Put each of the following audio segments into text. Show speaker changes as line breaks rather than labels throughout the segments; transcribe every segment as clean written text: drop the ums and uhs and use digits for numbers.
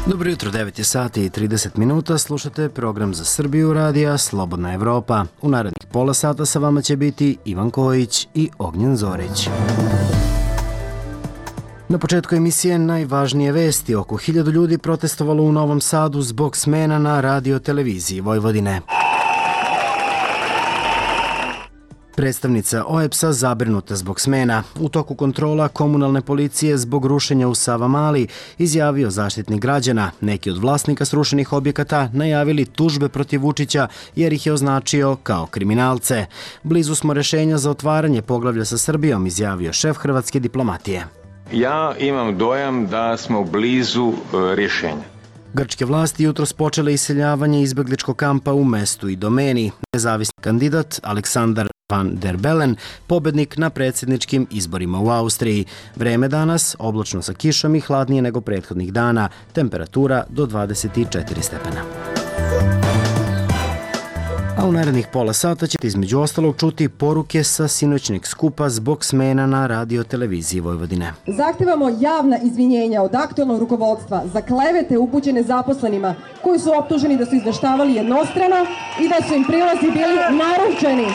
Dobro jutro, 9 je sati i 30 minuta, slušate program za Srbiju radija Slobodna Evropa. U narednih pola sata sa vama će biti Ivan Kojić i Ognjen Zorić. Na početku emisije najvažnije vesti. Oko 1000 ljudi protestovalo u Novom Sadu zbog smena na radio-televiziji Vojvodine. Predstavnica OEBS-a zabrinuta zbog smena. U toku kontrola komunalne policije zbog rušenja u Savamali izjavio Zaštitnik građana. Neki od vlasnika srušenih objekata najavili tužbe protiv Vučića jer ih je označio kao kriminalce. Blizu smo rešenja za otvaranje poglavlja sa Srbijom, izjavio šef hrvatske diplomatije.
Ja imam dojam da smo blizu rješenja.
Grčke vlasti jutros počele iseljavanje izbegličkog kampa u mestu i domeni. Nezavisni kandidat Aleksandar Van der Bellen, pobednik na predsjedničkim izborima u Austriji. Vreme danas oblačno sa kišom i hladnije nego prethodnih dana. Temperatura do 24 stepena. A u narednih pola sata ćete između ostalog čuti poruke sa sinoćnjeg skupa zbog smena na radio-televiziji Vojvodine.
Zahtevamo javna izvinjenja od aktualnog rukovodstva za klevete upućene zaposlenima koji su optuženi da su izveštavali jednostrano i da su im prilazi bili naručeni.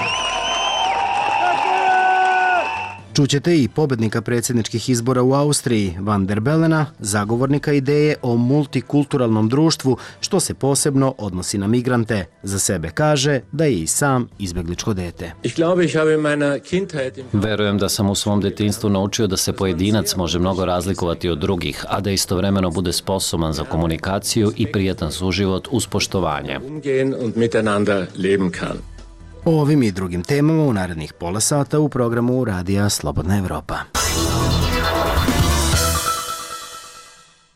Čućete i pobednika predsjedničkih izbora u Austriji, Van der Bellena, zagovornika ideje o multikulturalnom društvu, što se posebno odnosi na migrante. Za sebe kaže da je i sam izbegličko dete.
Verujem da sam u svom detinjstvu naučio da se pojedinac može mnogo razlikovati od drugih, a da istovremeno bude sposoban za komunikaciju i prijatan suživot uz poštovanje.
O ovim i drugim temama u narednih pola sata u programu Radija Slobodna Evropa.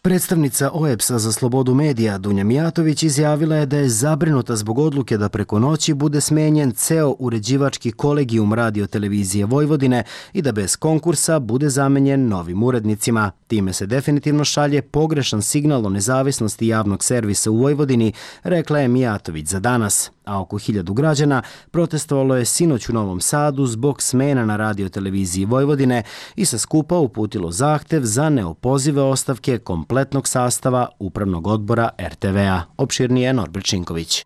Predstavnica OEBS-a za slobodu medija Dunja Mijatović izjavila je da je zabrinuta zbog odluke da preko noći bude smenjen ceo uređivački kolegijum radio-televizije Vojvodine i da bez konkursa bude zamenjen novim urednicima. Time se definitivno šalje pogrešan signal o nezavisnosti javnog servisa u Vojvodini, rekla je Mijatović za danas. A oko 1000 građana protestovalo je sinoć u Novom Sadu zbog smena na radio-televiziji Vojvodine i sa skupa uputilo zahtev za neopozive ostavke kompletnog sastava Upravnog odbora RTV-a. Opširnije Norbert Šinković.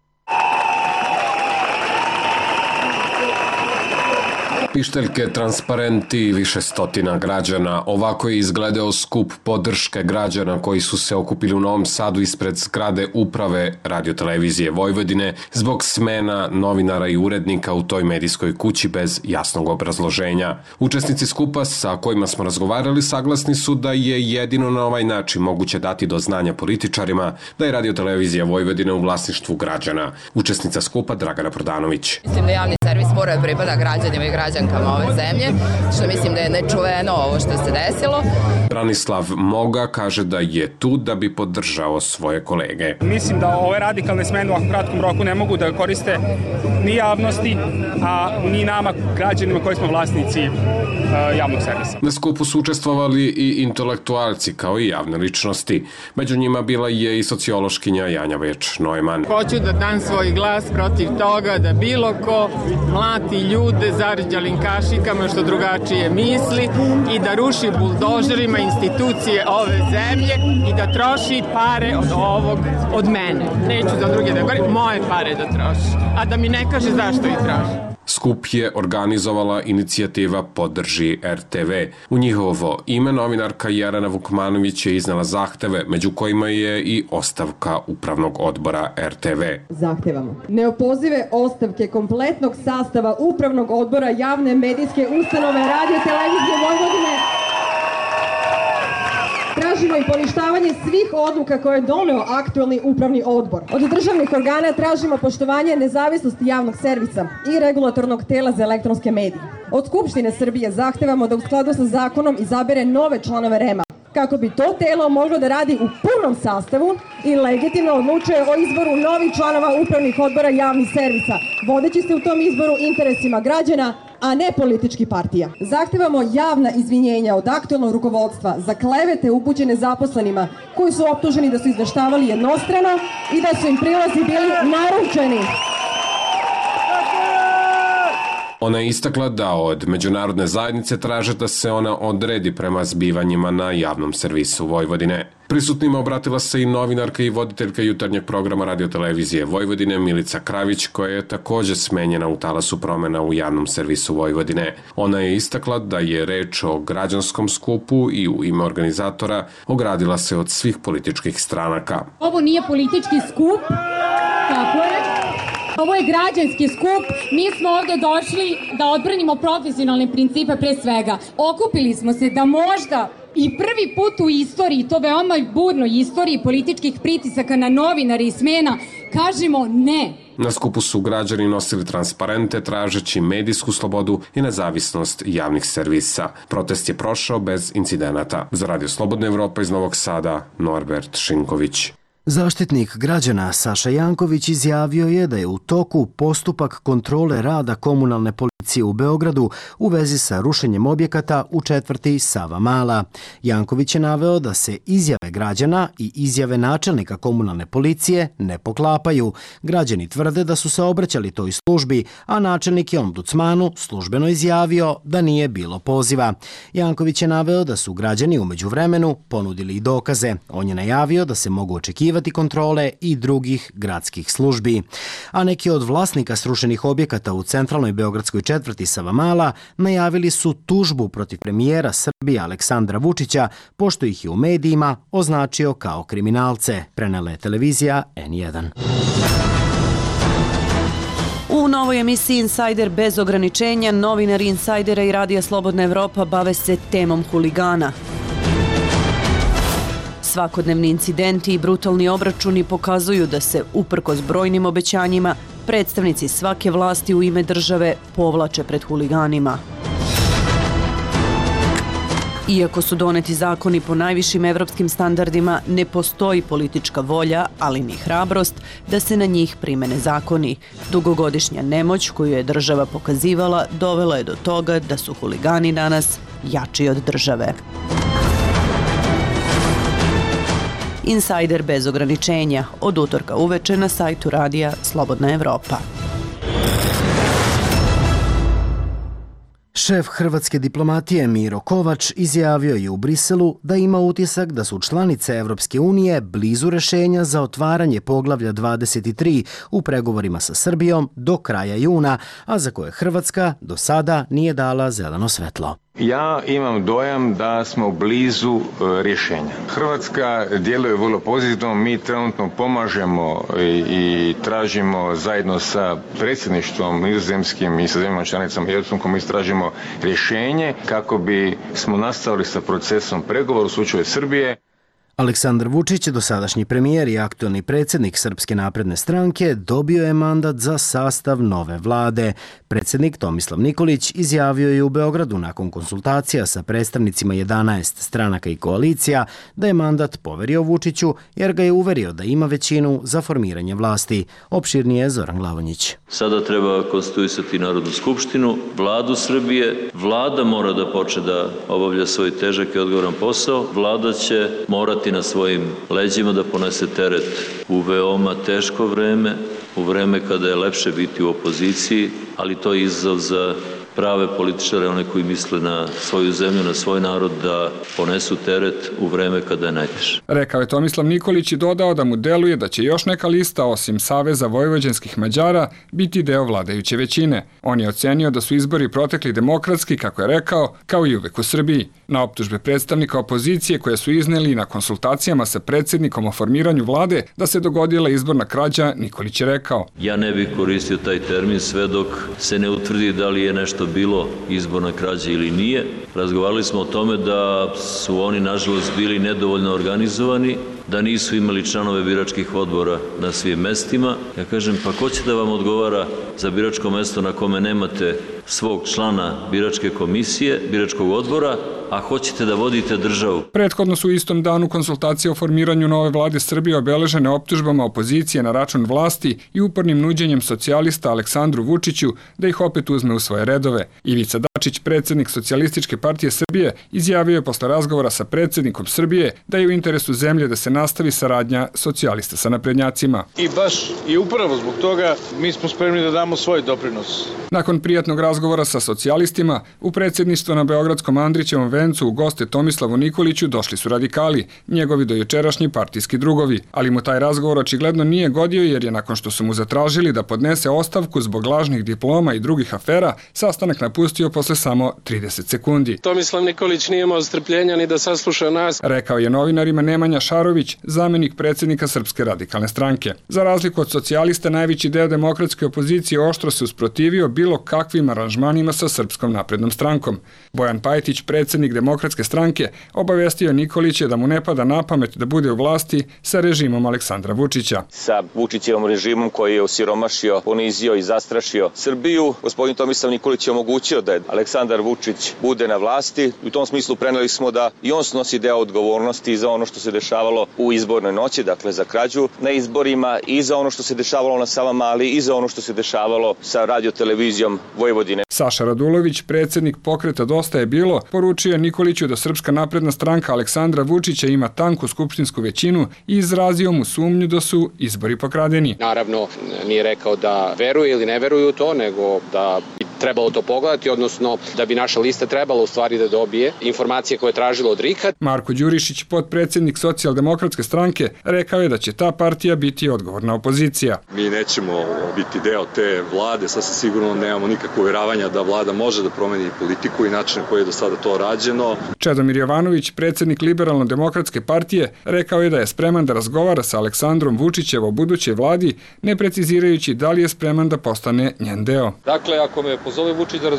Pišteljke, transparenti, više stotina građana. Ovako je izgledao skup podrške građana koji su se okupili u Novom Sadu ispred zgrade uprave radio-televizije Vojvodine zbog smena novinara i urednika u toj medijskoj kući bez jasnog obrazloženja. Učesnici skupa sa kojima smo razgovarali saglasni su da je jedino na ovaj način moguće dati do znanja političarima da je radio-televizija Vojvodine u vlasništvu građana. Učesnica skupa Dragana Prodanović.
Mislim da javni servis mora da pripada građanima i građankama ove zemlje, što mislim da je nečuveno ovo što se desilo.
Branislav Moga kaže da je tu da bi podržao svoje kolege.
Mislim da ove radikalne smene u ovakvom kratkom roku ne mogu da koriste ni javnosti, a ni nama, građanima koji smo vlasnici javnog servisa.
Na skupu su učestvovali i intelektualci kao i javne ličnosti. Među njima bila je i sociološkinja Janja Več-Neumann.
Hoću da dam svoj glas protiv toga da bilo ko mlati ljude zarđalim kašikama što drugačije misli i da ruši buldožerima institucije ove zemlje i da troši pare od mene. Neću za druge da govorim, moje pare da troši, a da mi ne kaže zašto ih troši.
Skup je organizovala inicijativa Podrži RTV. U njihovo ime novinarka Jelena Vukmanović je iznala zahteve, među kojima je i ostavka Upravnog odbora RTV.
Zahtevamo neopozive ostavke kompletnog sastava Upravnog odbora javne medijske ustanove radio-televizije Vojvodine. Tražimo i poništavanje svih odluka koje je doneo aktualni upravni odbor. Od državnih organa tražimo poštovanje nezavisnosti javnog servisa i regulatornog tela za elektronske medije. Od Skupštine Srbije zahtevamo da u skladu sa zakonom izabere nove članove REM-a, kako bi to telo moglo da radi u punom sastavu i legitimno odlučuje o izboru novih članova upravnih odbora javnih servisa, vodeći se u tom izboru interesima građana, a ne političkih partija. Zahtevamo javna izvinjenja od aktualnog rukovodstva za klevete upućene zaposlenima koji su optuženi da su izveštavali jednostrano i da su im prilazi bili naručeni.
Ona je istakla da od međunarodne zajednice traže da se ona odredi prema zbivanjima na javnom servisu Vojvodine. Prisutnima obratila se i novinarka i voditeljka jutarnjeg programa radiotelevizije Vojvodine Milica Kravić, koja je takođe smenjena u talasu promena u javnom servisu Vojvodine. Ona je istakla da je reč o građanskom skupu i u ime organizatora ogradila se od svih političkih stranaka.
Ovo nije politički skup, tako je. Ovo je građanski skup. Mi smo ovde došli da odbranimo profesionalne principe pre svega. Okupili smo se da možda i prvi put u istoriji, to veoma burnoj istoriji političkih pritisaka na novinare i smena, kažemo ne.
Na skupu su građani nosili transparente tražeći medijsku slobodu i nezavisnost javnih servisa. Protest je prošao bez incidenata. Za Radio Slobodna Evropa iz Novog Sada, Norbert Šinković.
Zaštitnik građana Saša Janković izjavio je da je u toku postupak kontrole rada komunalne policije u Beogradu u vezi sa rušenjem objekata u četvrti Savamala. Janković je naveo da se izjave građana i izjave načelnika komunalne policije ne poklapaju. Građani tvrde da su se obraćali toj službi, a načelnik je ombudsmanu službeno izjavio da nije bilo poziva. Janković je naveo da su građani u međuvremenu ponudili i dokaze. On je najavio da se mogu očekivati kontrole i drugih gradskih službi. A neki od vlasnika srušenih objekata u centralnoj beogradskoj četvrti Savamala najavili su tužbu protiv premijera Srbije Aleksandra Vučića, pošto ih je u medijima označio kao kriminalce, prenela je televizija N1.
U novoj emisiji Insider bez ograničenja, novinari Insajdera i Radija Slobodna Evropa bave se temom huligana. Svakodnevni incidenti i brutalni obračuni pokazuju da se, uprkos brojnim obećanjima, predstavnici svake vlasti u ime države povlače pred huliganima. Iako su doneti zakoni po najvišim evropskim standardima, ne postoji politička volja, ali ni hrabrost, da se na njih primene zakoni. Dugogodišnja nemoć koju je država pokazivala dovela je do toga da su huligani danas jači od države. Insider bez ograničenja, od utorka uveče na sajtu Radija Slobodna Evropa.
Šef hrvatske diplomatije Miro Kovač izjavio je u Briselu da ima utisak da su članice Evropske unije blizu rešenja za otvaranje poglavlja 23 u pregovorima sa Srbijom do kraja juna, a za koje Hrvatska do sada nije dala zeleno svetlo.
Ja imam dojam da smo blizu rješenja. Hrvatska djeluje vrlo pozitivno, mi trenutno pomažemo i tražimo zajedno sa predsjedništvom nizozemskim i sa zemljama članicama i Europskom komisijom tražimo rješenje kako bi smo nastavili sa procesom pregovora u slučaju Srbije.
Aleksandar Vučić, dosadašnji premijer i aktuelni predsjednik Srpske napredne stranke, dobio je mandat za sastav nove vlade. Predsjednik Tomislav Nikolić izjavio je u Beogradu nakon konsultacija sa predstavnicima 11 stranaka i koalicija da je mandat poverio Vučiću jer ga je uverio da ima većinu za formiranje vlasti. Opširnije Zoran Glavonjić.
Sada treba konstituisati Narodnu skupštinu, vladu Srbije. Vlada mora da počne da obavlja svoj težak i odgovoran posao. Vlada će morati na svojim leđima da ponese teret u veoma teško vreme, u vreme kada je lepše biti u opoziciji, ali to je izazov za prave političare, one koji misle na svoju zemlju, na svoj narod, da ponesu teret u vreme kada je najteže.
Rekao je Tomislav Nikolić i dodao da mu deluje da će još neka lista, osim Saveza vojvođanskih Mađara, biti deo vladajuće većine. On je ocenio da su izbori protekli demokratski, kako je rekao, kao i uvek u Srbiji. Na optužbe predstavnika opozicije koje su izneli na konsultacijama sa predsjednikom o formiranju vlade da se dogodila izborna krađa, Nikolić je rekao:
Ja ne bih koristio taj termin sve dok se ne utvrdi da li je nešto bilo izborna krađa ili nije. Razgovarali smo o tome da su oni nažalost bili nedovoljno organizovani, da nisu imali članove biračkih odbora na svim mestima. Ja kažem, pa ko će da vam odgovara za biračko mesto na kome nemate svog člana biračke komisije, biračkog odbora, a hoćete da vodite državu?
Prethodno su u istom danu konsultacije o formiranju nove vlade Srbije obeležene optužbama opozicije na račun vlasti i upornim nuđenjem socijalista Aleksandru Vučiću da ih opet uzme u svoje redove. Ivica Dačić, predsjednik Socijalističke partije Srbije, izjavio je posle razgovora sa predsjednikom Srbije da je u interesu zemlje da se se nastavi saradnja socijalista sa naprednjacima.
I baš i upravo zbog toga mi smo spremni da damo svoj doprinos.
Nakon prijatnog razgovora sa socijalistima, u predsjedništvo na Beogradskom Andrićevom vencu u goste Tomislavu Nikoliću došli su radikali, njegovi dojučerašnji partijski drugovi, ali mu taj razgovor očigledno nije godio jer je nakon što su mu zatražili da podnese ostavku zbog lažnih diploma i drugih afera, sastanak napustio posle samo 30 sekundi.
Tomislav Nikolić nije imao strpljenja ni da sasluša nas,
rekao je novinarima Nemanja Šarović, zamenik predsjednika Srpske radikalne stranke. Za razliku od socijalista, najveći deo demokratske opozicije oštro se usprotivio bilo kakvim aranžmanima sa Srpskom naprednom strankom. Bojan Pajtić, predsjednik Demokratske stranke, obavestio Nikolića da mu ne pada na pamet da bude u vlasti sa režimom Aleksandra Vučića.
Sa Vučićevom režimom koji je osiromašio, ponizio i zastrašio Srbiju, gospodin Tomislav Nikolić je omogućio da Aleksandar Vučić bude na vlasti. U tom smislu preneli smo da i on snosi deo odgovornosti za ono što se dešavalo u izbornoj noći, dakle za krađu na izborima, i za ono što se dešavalo na Savamali, i za ono što se dešavalo sa radiotelevizijom Vojvodine.
Saša Radulović, predsjednik pokreta Dosta je bilo, poručio Nikoliću da Srpska napredna stranka Aleksandra Vučića ima tanku skupštinsku većinu i izrazio mu sumnju da su izbori pokradeni.
Naravno, nije rekao da veruje ili ne veruje u to, nego da bi trebalo to pogledati, odnosno da bi naša lista trebala u stvari da dobije informacije koje je tražila od RIK-a.
Marko Đurišić, potpredsjednik Socijaldemokratske stranke, rekao je da će ta partija biti odgovorna opozicija.
Mi nećemo biti deo te vlade, sasvim sigurno nemamo nikakvo uvjeravanja da vlada može da promeni politiku i način na koji je do sada to rađeno.
Čedomir Jovanović, predsjednik Liberalno-demokratske partije, rekao je da je spreman da razgovara sa Aleksandrom Vučićem o budućoj vladi, ne precizirajući da li je spreman da postane njen deo.
Dakle, ako me pozove Vučić da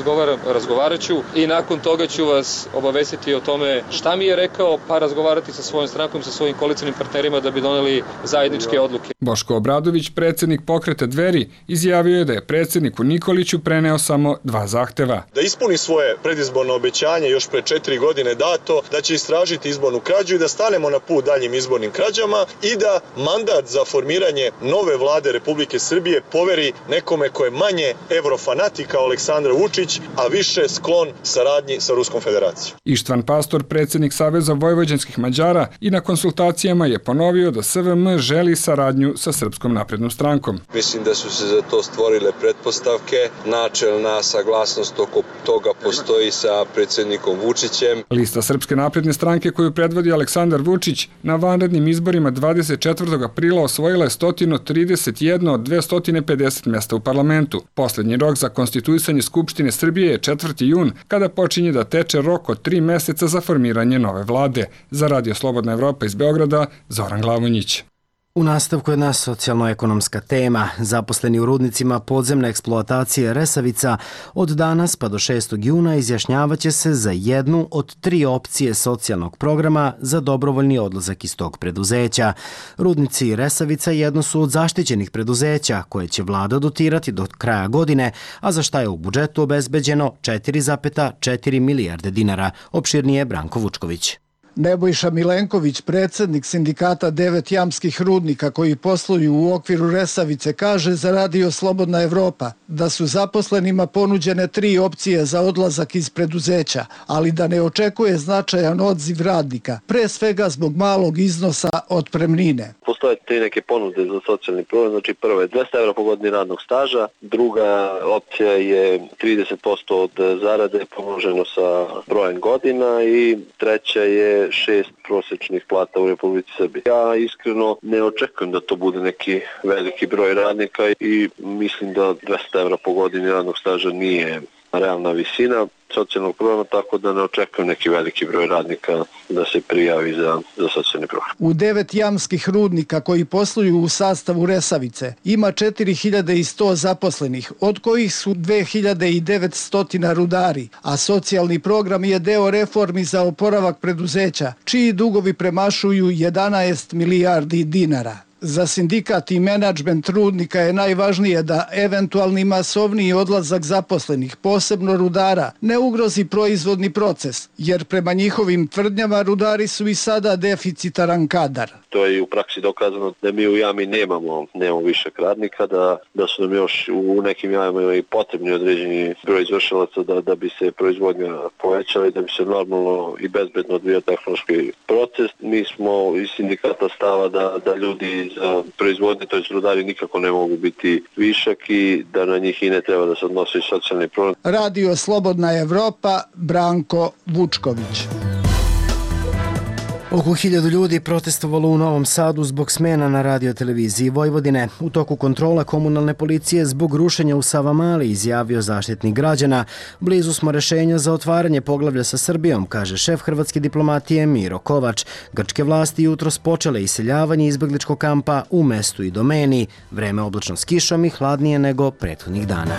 razgovarat ću i nakon toga ću vas obavestiti o tome šta mi je rekao, pa razgovarati sa svojom strankom, sa svojim koalicionim partnerima da bi doneli zajedničke odluke.
Boško Obradović, predsjednik pokreta Dveri, izjavio je da je predsjedniku Nikoliću preneo samo 2 zahteva.
Da ispuni svoje predizborno obećanje još pre 4 godine dato, da će istražiti izbornu krađu i da stanemo na put daljim izbornim krađama i da mandat za formiranje nove vlade Republike Srbije poveri nekome ko je manje evrofanatik kao Aleksandar Vučić, a više sklon saradnji sa Ruskom federacijom.
Ištvan Pastor, predsjednik Saveza vojvođanskih Mađara, i na konsultacijama je ponovio da SVM želi saradnju sa Srpskom naprednom strankom.
Mislim da su se za to stvorile pretpostavke, načelna saglasnost oko toga postoji sa predsjednikom Vučićem.
Lista Srpske napredne stranke koju predvodi Aleksandar Vučić na vanrednim izborima 24. aprila osvojila je 131 od 250 mjesta u parlamentu. Poslednji rok za konstituisanje Skupštine Srbije je 4. jun, kada počinje da teče rok od 3 meseca za formiranje nove vlade. Za Radio Slobodna Evropa iz Beograda, Zoran Glavonjić.
U nastavku jedna socijalno-ekonomska tema. Zaposleni u rudnicima podzemne eksploatacije Resavica od danas pa do 6. juna izjašnjavaće se za jednu od 3 opcije socijalnog programa za dobrovoljni odlazak iz tog preduzeća. Rudnici Resavica jedno su od zaštićenih preduzeća koje će vlada dotirati do kraja godine, a za šta je u budžetu obezbeđeno 4,4 milijarde dinara. Opširnije Branko Vučković.
Nebojša Milenković, predsjednik sindikata 9 jamskih rudnika koji posluju u okviru Resavice, kaže za Radio Slobodna Evropa da su zaposlenima ponuđene 3 opcije za odlazak iz preduzeća, ali da ne očekuje značajan odziv radnika, pre svega zbog malog iznosa otpremnine.
Postoje 3 neke ponude za socijalni program, znači prva je 200 € po godini radnog staža, druga opcija je 30% od zarade pomnoženo sa brojem godina i treća je 6 prosječnih plata u Republici Srbiji. Ja iskreno ne očekujem da to bude neki veliki broj radnika i mislim da 200 € po godini radnog staža nije realna visina socijalnog programa, tako da ne očekujem neki veliki broj radnika da se prijavi za socijalni program.
U 9 jamskih rudnika koji posluju u sastavu Resavice ima 4100 zaposlenih, od kojih su 2900 rudari, a socijalni program je deo reformi za oporavak preduzeća, čiji dugovi premašuju 11 milijardi dinara. Za sindikat i menadžment rudnika je najvažnije da eventualni masovniji odlazak zaposlenih, posebno rudara, ne ugrozi proizvodni proces, jer prema njihovim tvrdnjama rudari su i sada deficitaran kadar.
To je u praksi dokazano da mi u jami nemamo višak radnika, da su nam još u nekim jamama i potrebni određeni broj izvršilaca da bi se proizvodnja povećala i da bi se normalno i bezbedno odvijao tehnološki proces. Mi smo iz sindikata stava da ljudi za proizvodnje, to je rudari, nikako ne mogu biti višak i da na njih i ne treba da se odnosi socijalni problem.
Radio Slobodna Evropa, Branko Vučković.
Oko 1000 ljudi protestovalo u Novom Sadu zbog smena na radioteleviziji Vojvodine. U toku kontrola komunalne policije zbog rušenja u Savamali, izjavio zaštitnik građana. Blizu smo rešenja za otvaranje poglavlja sa Srbijom, kaže šef hrvatske diplomatije Miro Kovač. Grčke vlasti jutros počele iseljavanje izbegličkog kampa u mestu i domeni. Vreme oblačno s kišom i hladnije nego prethodnih dana.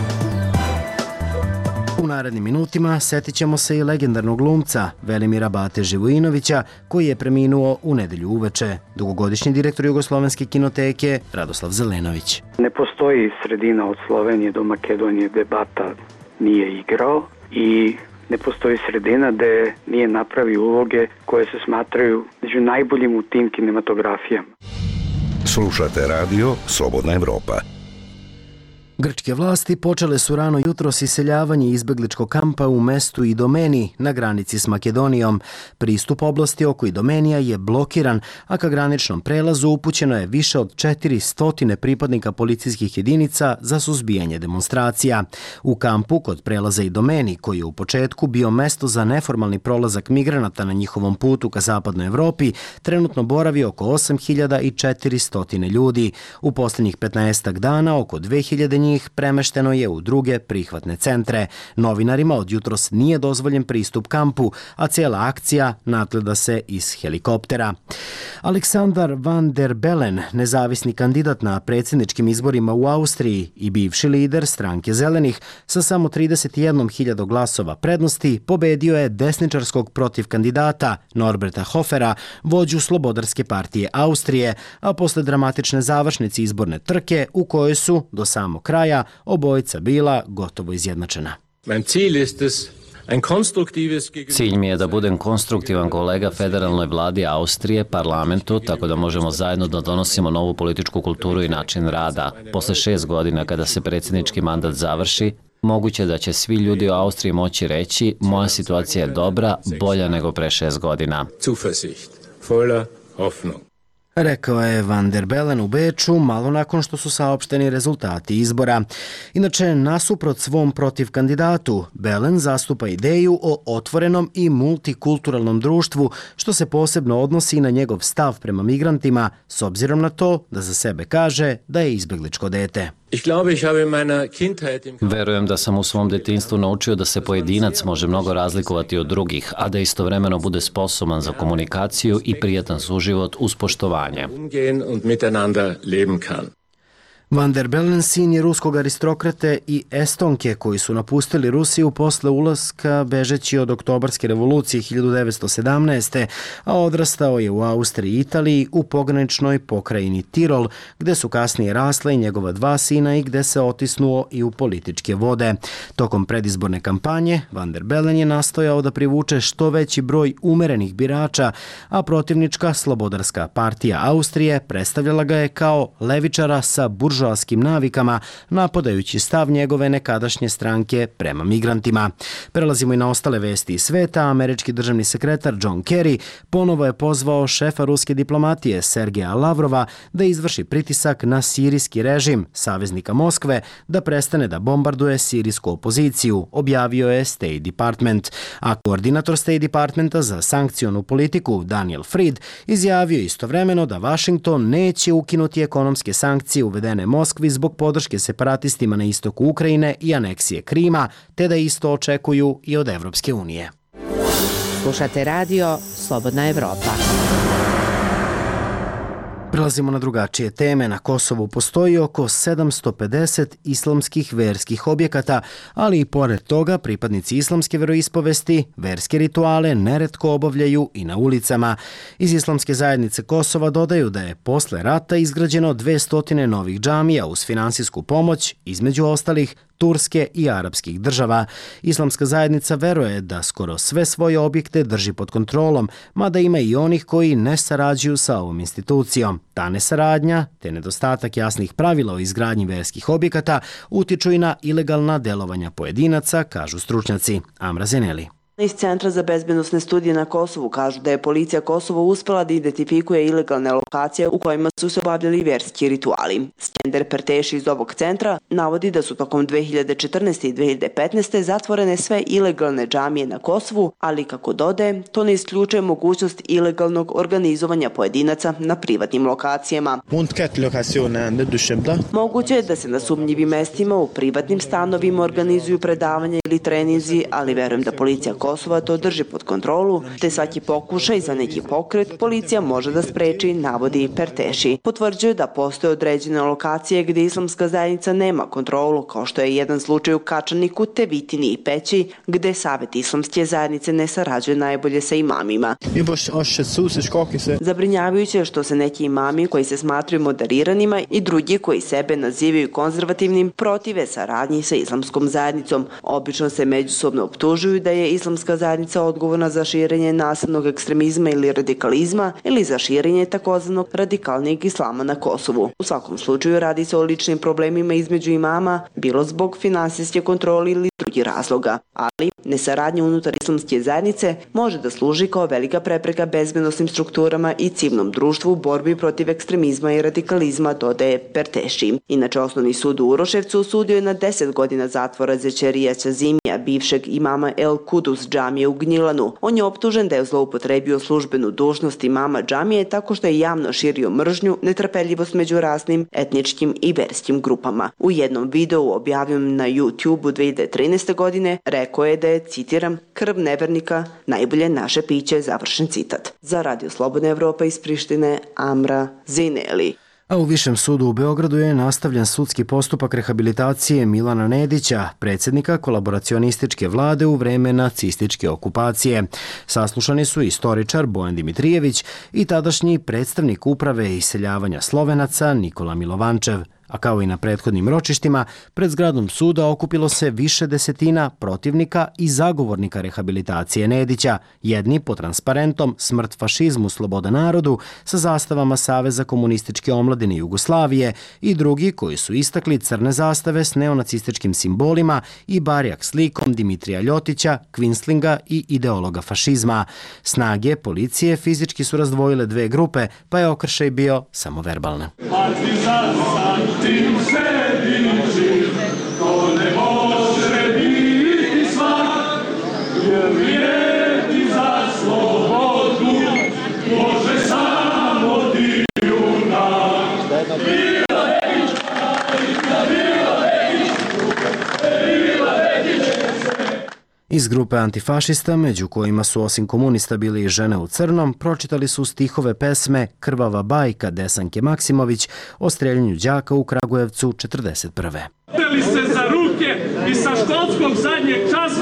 U narednim minutima setit ćemo se i legendarnog glumca Velimira Bate Živojinovića, koji je preminuo u nedelju uveče. Dugogodišnji direktor Jugoslovenske kinoteke Radoslav Zelenović.
Ne postoji sredina od Slovenije do Makedonije gde Bata nije igrao i ne postoji sredina gde nije napravio uloge koje se smatraju među najboljim u tim kinematografijama.
Slušate radio Slobodna Evropa.
Grčke vlasti počele su rano jutros iseljavanje izbegličkog kampa u mestu Idomeni na granici s Makedonijom. Pristup oblasti oko Idomenija je blokiran, a ka graničnom prelazu upućeno je više od 400 pripadnika policijskih jedinica za suzbijanje demonstracija. U kampu kod prelaza Idomeni, koji je u početku bio mesto za neformalni prolazak migranata na njihovom putu ka zapadnoj Evropi, trenutno boravi oko 8400 ljudi. U posljednjih 15 dana oko 2000 njih premešteno je u druge prihvatne centre. Novinarima od jutros nije dozvoljen pristup kampu, a cijela akcija nadgleda se iz helikoptera. Aleksandar Van der Bellen, nezavisni kandidat na predsjedničkim izborima u Austriji i bivši lider stranke Zelenih, sa samo 31.000 glasova prednosti pobedio je desničarskog protiv kandidata Norberta Hofera, vođu Slobodarske partije Austrije, a posle dramatične završnice izborne trke u kojoj su do samog kraja obojica bila gotovo izjednačena.
Cilj mi je da budem konstruktivan kolega federalnoj vladi Austrije, parlamentu, tako da možemo zajedno da donosimo novu političku kulturu i način rada. Posle 6 godina kada se predsjednički mandat završi, moguće da će svi ljudi u Austriji moći reći moja situacija je dobra, bolja nego pre 6 godina.
Rekao je Van der Bellen u Beču malo nakon što su saopšteni rezultati izbora. Inače, nasuprot svom protiv kandidatu, Bellen zastupa ideju o otvorenom i multikulturalnom društvu, što se posebno odnosi na njegov stav prema migrantima, s obzirom na to da za sebe kaže da je izbegličko dete.
Verujem da sam u svom detinjstvu naučio da se pojedinac može mnogo razlikovati od drugih, a da istovremeno bude sposoban za komunikaciju i prijatan suživot uz poštovanje.
Van der Bellen sin je ruskog aristokrate i Estonke koji su napustili Rusiju posle ulaska bežeći od oktobarske revolucije 1917. a odrastao je u Austriji i Italiji u pograničnoj pokrajini Tirol, gde su kasnije rasla i njegova 2 sina i gde se otisnuo i u političke vode. Tokom predizborne kampanje Van der Bellen je nastojao da privuče što veći broj umerenih birača, a protivnička Slobodarska partija Austrije predstavljala ga je kao levičara sa buržoaskim navikama, napadajući stav njegove nekadašnje stranke prema migrantima. Prelazimo i na ostale vesti iz sveta. Američki državni sekretar John Kerry ponovo je pozvao šefa ruske diplomatije Sergeja Lavrova da izvrši pritisak na sirijski režim, saveznika Moskve, da prestane da bombarduje sirijsku opoziciju, objavio je State Department. A koordinator State Departmenta za sankcionu politiku Daniel Fried izjavio istovremeno da Washington neće ukinuti ekonomske sankcije uvedene Moskvi zbog podrške separatistima na istoku Ukrajine i aneksije Krima, te da isto očekuju i od Evropske unije.
Slušate radio Slobodna Evropa.
Prelazimo na drugačije teme. Na Kosovu postoji oko 750 islamskih verskih objekata, ali i pored toga pripadnici islamske veroispovesti verske rituale neretko obavljaju i na ulicama. Iz Islamske zajednice Kosova dodaju da je posle rata izgrađeno 200 novih džamija uz finansijsku pomoć, između ostalih Turske i arapskih država. Islamska zajednica veruje da skoro sve svoje objekte drži pod kontrolom, mada ima i onih koji ne sarađuju sa ovom institucijom. Ta nesaradnja, te nedostatak jasnih pravila o izgradnji verskih objekata utiču i na ilegalna delovanja pojedinaca, kažu stručnjaci. Amra Zeneli.
Iz Centra za bezbednosne studije na Kosovu kažu da je policija Kosova uspela da identifikuje ilegalne lokacije u kojima su se obavljali verski rituali. Skender Perteši iz ovog centra navodi da su tokom 2014. i 2015. zatvorene sve ilegalne džamije na Kosovu, ali kako dodaje, to ne isključuje mogućnost ilegalnog organizovanja pojedinaca na privatnim lokacijama. Moguće je da se na sumnjivim mestima u privatnim stanovima organizuju predavanja ili treninzi, ali verujem da policija Kosova to drži pod kontrolu, te svaki pokušaj za neki pokret policija može da spreči, navodi Perteši. Potvrđuje da postoje određene lokacije gdje islamska zajednica nema kontrolu, kao što je jedan slučaj u Kačaniku, te Vitini i Peći, gdje Savet islamske zajednice ne sarađuje najbolje sa imamima. Zabrinjavajuće je što se neki imami koji se smatruju moderiranima i drugi koji sebe nazivaju konzervativnim protive saradnji sa islamskom zajednicom. Obično se međusobno optužuju da je islamska zajednica odgovorna za širenje nasilnog ekstremizma ili radikalizma ili za širenje takozvanog radikalnijeg islama na Kosovu. U svakom slučaju radi se o ličnim problemima između imama, bilo zbog finansijske kontrole ili drugih razloga, ali nesaradnja unutar islamske zajednice može da služi kao velika prepreka bezbednosnim strukturama i civilnom društvu u borbi protiv ekstremizma i radikalizma, dodaje Perteši. Inače, Osnovni sud u Uroševcu osudio je na 10 godina zatvora Zećerija Ćazimija, bivšeg imama El Kudus džamije u Gnjilanu. On je optužen da je zloupotrebio službenu dužnost imama džamije tako što je javno širio mržnju, netrpeljivost među rasnim, etničkim i verskim grupama. U jednom videu objavljenom na YouTube-u 2013. godine rekao je da je, citiram, krv nevernika najbolje naše piće, završen citat. Za Radio Slobodna Evropa iz Prištine, Amra Zineli.
A u Višem sudu u Beogradu je nastavljen sudski postupak rehabilitacije Milana Nedića, predsjednika kolaboracionističke vlade u vreme nacističke okupacije. Saslušani su istoričar Bojan Dimitrijević i tadašnji predstavnik uprave iseljavanja Slovenaca Nikola Milovančev. A kao i na prethodnim ročištima, pred zgradom suda okupilo se više desetina protivnika i zagovornika rehabilitacije Nedića, jedni pod transparentom Smrt fašizmu, sloboda narodu sa zastavama Saveza komunističke omladine Jugoslavije i drugi koji su istakli crne zastave s neonacističkim simbolima i barjak slikom Dimitrija Ljotića, Kvinslinga i ideologa fašizma. Snage policije fizički su razdvojile dve grupe, pa je okršaj bio samo verbalne.
Tim se diži, to ne može biti svak, jer vrijedi za slobodu, može samo dijunak. Bila Vedića, bila Vedića.
Iz grupe antifašista, među kojima su osim komunista bili i žene u crnom, pročitali su stihove pesme Krvava bajka Desanke Maksimović o streljanju đaka u Kragujevcu 1941.
Uzeli se za ruke i sa školskog zadnjeg časa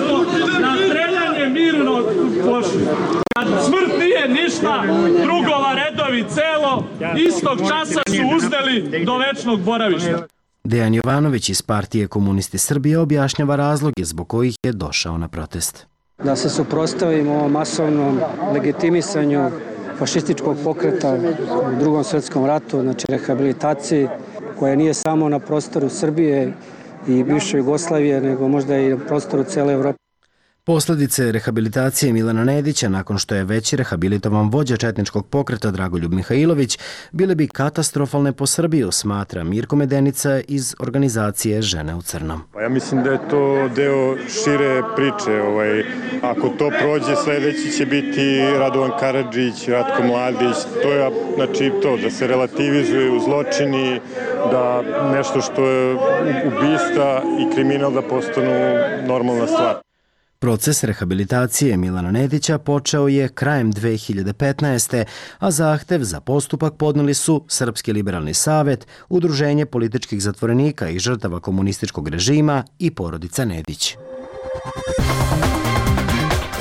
na streljanje mirno pošli. Kad smrt nije ništa, drugova redovi celo, istog časa su uzdeli do večnog boravišta.
Dejan Jovanović iz Partije Komunisti Srbije objašnjava razloge zbog kojih je došao na protest.
Da se suprotstavimo ovom masovnom legitimisanju fašističkog pokreta u Drugom svjetskom ratu, znači rehabilitaciji koja nije samo na prostoru Srbije i bivše Jugoslavije, nego možda i na prostoru cele Evrope.
Posledice rehabilitacije Milana Nedića, nakon što je već rehabilitovan vođa četničkog pokreta Dragoljub Mihajlović, bile bi katastrofalne po Srbiju, smatra Mirko Medenica iz organizacije Žene u crnom.
Ja mislim da je to deo šire priče. Ako to prođe, sledeći će biti Radovan Karadžić, Ratko Mladić. To je znači to, da se relativizuju zločini, da nešto što je ubistva i kriminal da postanu normalna stvar.
Proces rehabilitacije Milana Nedića počeo je krajem 2015. a zahtev za postupak podneli su Srpski liberalni savet, Udruženje političkih zatvorenika i žrtava komunističkog režima i porodica Nedić.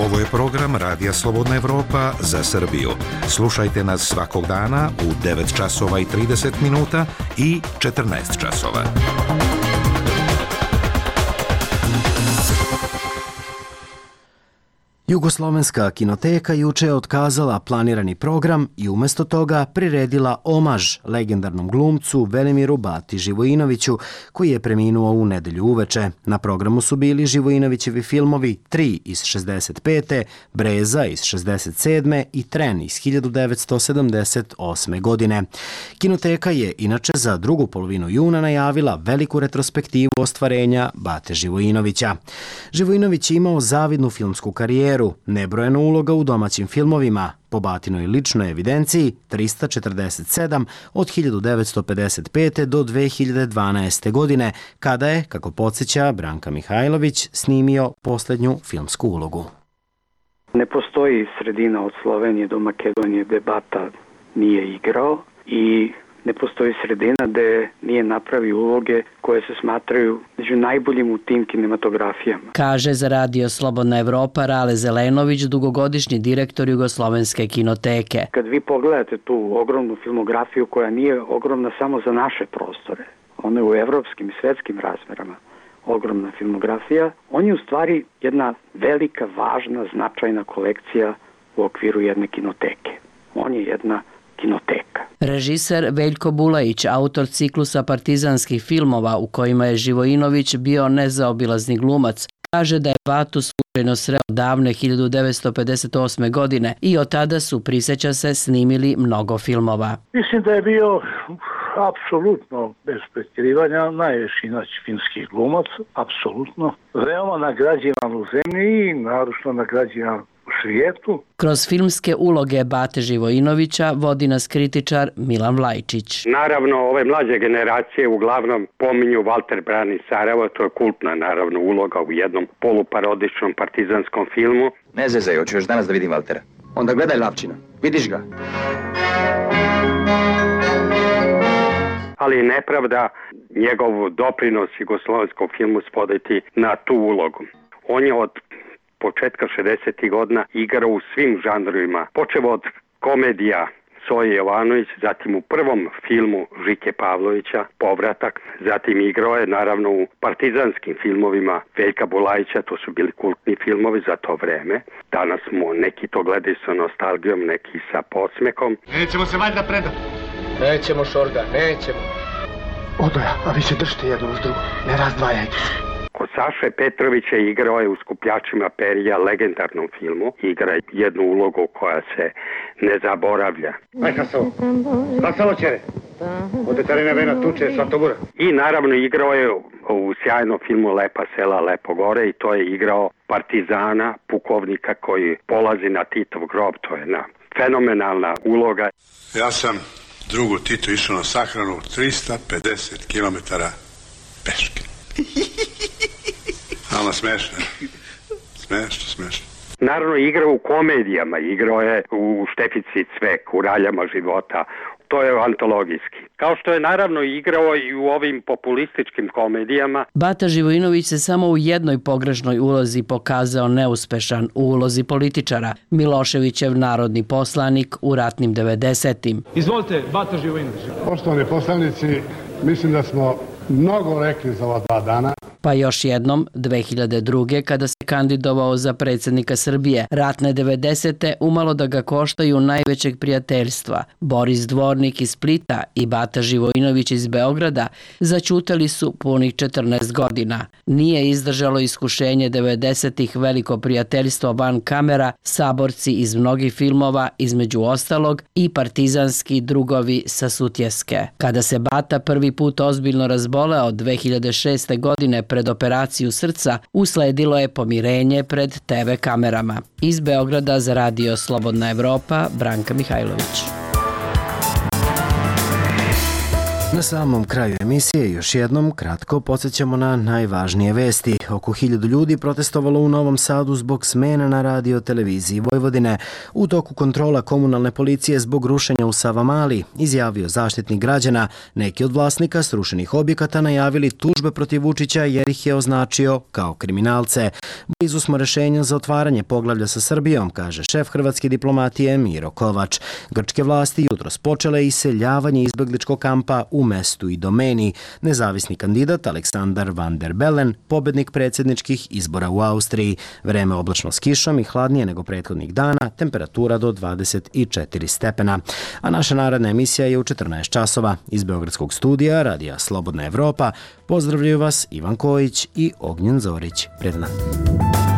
Ovo je program Radija Slobodna Evropa za Srbiju. Slušajte nas svakog dana u 9 časova i 30 minuta i 14 časova.
Jugoslovenska kinoteka juče je otkazala planirani program i umjesto toga priredila omaž legendarnom glumcu Velimiru Bati Živojinoviću, koji je preminuo u nedelju uveče. Na programu su bili Živojinovićevi filmovi 3 iz 65. Breza iz 67. i Tren iz 1978. godine. Kinoteka je inače za drugu polovinu juna najavila veliku retrospektivu ostvarenja Bate Živojinovića. Živojinović je imao zavidnu filmsku karijeru, nebrojeno uloga u domaćim filmovima, po Batinoj ličnoj evidenciji 347 od 1955. do 2012. godine, kada je, kako podsjeća Branka Mihajlović, snimio posljednju filmsku ulogu.
Ne postoji sredina od Slovenije do Makedonije gde Bata nije igrao i ne postoji sredina gde nije napravio uloge koje se smatraju među najboljim u tim kinematografijama.
Kaže za Radio Slobodna Evropa Rale Zelenović, dugogodišnji direktor Jugoslovenske kinoteke.
Kad vi pogledate tu ogromnu filmografiju koja nije ogromna samo za naše prostore, ona je u evropskim i svetskim razmerama ogromna filmografija, on je u stvari jedna velika, važna, značajna kolekcija u okviru jedne kinoteke. On je jedna kinoteka.
Režiser Veljko Bulajić, autor ciklusa partizanskih filmova u kojima je Živojinović bio nezaobilazni glumac, kaže da je Batu slučajno sreo davne 1958. godine i od tada su, prisjeća se, snimili mnogo filmova.
Mislim da je bio apsolutno, bez pretjerivanja, najveći filmski glumac, apsolutno. Veoma nagrađivan u zemlji i naročno nagrađivan svijetu.
Kroz filmske uloge Bate Živojinovića vodi nas kritičar Milan Vlajčić.
Naravno, ove mlađe generacije uglavnom pominju Valter brani Sarajevo, to je kultna naravno uloga u jednom poluparodičnom partizanskom filmu.
Ne zezaj, hoću još danas da vidim Valtera. Onda gledaj Lavčina, vidiš ga.
Ali nepravda njegov doprinos jugoslovenskom filmu spoditi na tu ulogu. On je od početka 60. godina igrao u svim žanrovima, počeo od komedija Soje Jovanović, zatim u prvom filmu Žike Pavlovića, Povratak, zatim igrao je naravno u partizanskim filmovima Veljka Bulajića, to su bili kultni filmovi za to vreme. Danas mu neki to gledaju sa nostalgijom, neki sa podsmehom.
Nećemo se valjda predati.
Nećemo, Šorga, nećemo.
Odoja, a vi se držite jedno uz drugo, ne razdvajajte se.
Kod Saše Petrovića igrao je u Skupljačima perija, legendarnom filmu. Igra jednu ulogu koja se ne zaboravlja.
Aj Hasovo, Hasovo čere, ode Tarina Vena tuče Svatogora.
I naravno igrao je u sjajnom filmu Lepa sela, Lepo gore i to je igrao partizana, pukovnika koji polazi na Titov grob, to je jedna fenomenalna uloga.
Ja sam drugu Titu išao na sahranu 350 km peške. Ama smešno. Smešno.
Naravno, igrao u komedijama, igrao je u Štefici Cvek, u Raljama života, to je antologijski. Kao što je naravno igrao i u ovim populističkim komedijama.
Bata Živojinović se samo u jednoj pogrešnoj ulozi pokazao neuspešan, u ulozi političara, Miloševićev narodni poslanik u ratnim 90-im.
Izvolite, Bata Živojinović. Poštovani poslanici, mislim da smo mnogo rekli za ova 2 dana.
Pa još jednom, 2002. kada se kandidovao za predsjednika Srbije, ratne 90. umalo da ga koštaju najvećeg prijateljstva. Boris Dvornik iz Splita i Bata Živojinović iz Beograda zaćutali su punih 14 godina. Nije izdržalo iskušenje 90-ih veliko prijateljstvo van kamera, saborci iz mnogih filmova, između ostalog i partizanski drugovi sa Sutjeske. Kada se Bata prvi put ozbiljno razboleo 2006. godine pred operaciju srca, usledilo je pomirenje pred TV kamerama. Iz Beograda za Radio Slobodna Evropa, Branka Mihajlović.
Na samom kraju emisije još jednom kratko podsjećamo na najvažnije vesti. Oko 1000 ljudi protestovalo u Novom Sadu zbog smena na radio televiziji Vojvodine. U toku kontrola komunalne policije zbog rušenja u Savamali, izjavio zaštitnik građana. Neki od vlasnika srušenih objekata najavili tužbe protiv Vučića jer ih je označio kao kriminalce. Blizu smo rešenja za otvaranje poglavlja sa Srbijom, kaže šef hrvatske diplomatije Miro Kovač. Grčke vlasti jutros počele iseljavanje izbegličkog kampa u mestu i domeni. Nezavisni kandidat Aleksandar Van der Bellen, pobednik predsjedničkih izbora u Austriji. Vreme oblačno s kišom i hladnije nego prethodnih dana, temperatura do 24 stepena. A naša naredna emisija je u 14 časova. Iz Beogradskog studija Radija Slobodna Evropa pozdravljaju vas Ivan Kojić i Ognjen Zorić. Pred nama.